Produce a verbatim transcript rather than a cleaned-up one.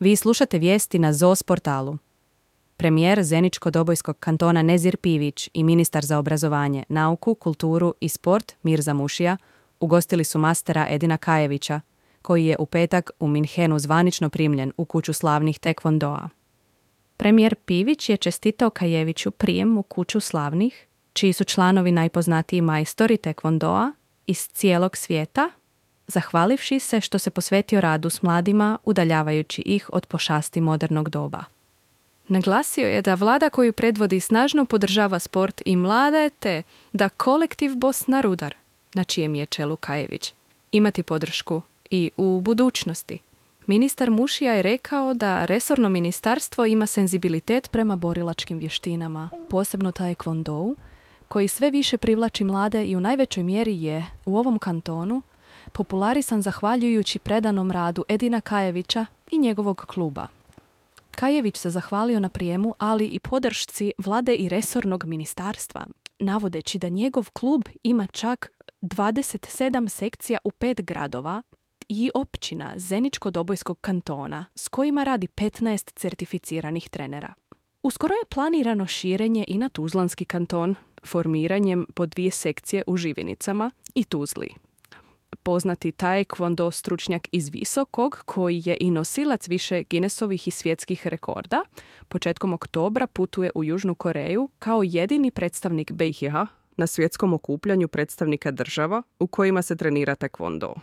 Vi slušate vijesti na Z O S portalu. Premijer Zeničko-Dobojskog kantona Nezir Pivić i ministar za obrazovanje, nauku, kulturu i sport Mirza Mušija ugostili su mastera Edina Kajevića, koji je u petak u Minhenu zvanično primljen u kuću slavnih tekvondoa. Premijer Pivić je čestitao Kajeviću prijem u kuću slavnih, čiji su članovi najpoznatiji majstori tekvondoa iz cijelog svijeta, zahvalivši se što se posvetio radu s mladima, udaljavajući ih od pošasti modernog doba. Naglasio je da vlada koju predvodi snažno podržava sport i mlade, te da kolektiv Bosna Rudar, na čijem je čelu Kajević, imati podršku i u budućnosti. Ministar Mušija je rekao da resorno ministarstvo ima senzibilitet prema borilačkim vještinama, posebno taekvondou, koji sve više privlači mlade i u najvećoj mjeri je u ovom kantonu popularisan zahvaljujući predanom radu Edina Kajevića i njegovog kluba. Kajević se zahvalio na prijemu, ali i podršci vlade i resornog ministarstva, navodeći da njegov klub ima čak dvadeset sedam sekcija u pet gradova i općina Zeničko-Dobojskog kantona, s kojima radi petnaest certificiranih trenera. Uskoro je planirano širenje i na Tuzlanski kanton, formiranjem po dvije sekcije u Živinicama i Tuzli. Poznati taekwondo stručnjak iz Visokog, koji je i nosilac više Guinnessovih i svjetskih rekorda, početkom oktobra putuje u Južnu Koreju kao jedini predstavnik B iH na svjetskom okupljanju predstavnika država u kojima se trenira taekwondo.